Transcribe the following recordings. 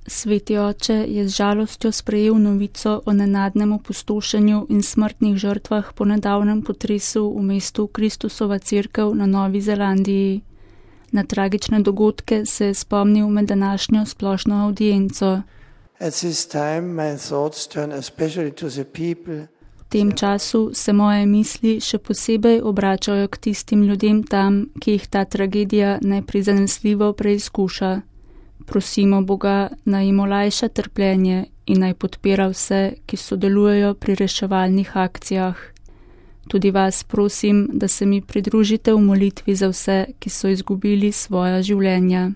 Sveti oče je z žalostjo sprejel novico o nenadnem opustošenju in smrtnih žrtvah po nedavnem potresu v mestu Kristusova cerkev na Novi Zelandiji. Na tragične dogodke se je spomnil med današnjo splošno avdienco. V tem času se moje misli še posebej obračajo k tistim ljudem tam, ki jih ta tragedija neprizanesljivo preizkuša. Prosimo Boga, naj jim olajša trpljenje in naj podpira vse, ki sodelujejo pri reševalnih akcijah. Tudi vas prosim, da se mi pridružite v molitvi za vse, ki so izgubili svoja življenja.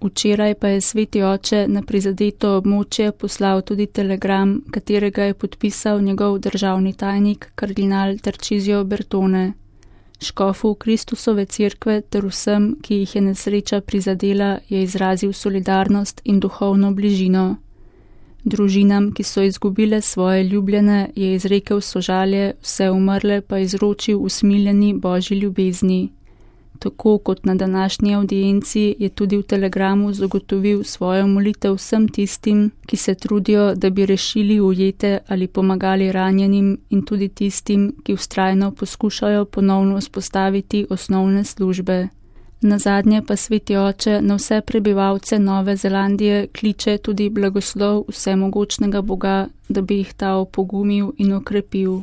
Včeraj pa je Sveti oče na prizadeto območje poslal tudi telegram, katerega je podpisal njegov državni tajnik kardinal Tarcisio Bertone. Škofu Kristusove cerkve ter vsem, ki jih je nesreča prizadela, je izrazil solidarnost in duhovno bližino. Družinam, ki so izgubile svoje ljubljene, je izrekel sožalje, vse umrle pa izročil usmiljeni Božji ljubezni. Tako kot na današnji avdienci je tudi v telegramu zagotovil svojo molitev vsem tistim, ki se trudijo, da bi rešili ujete ali pomagali ranjenim, in tudi tistim, ki vztrajno poskušajo ponovno vzpostaviti osnovne službe. Nazadnje pa Sveti oče na vse prebivalce Nove Zelandije kliče tudi blagoslov vsemogočnega Boga, da bi jih ta opogumil in okrepil.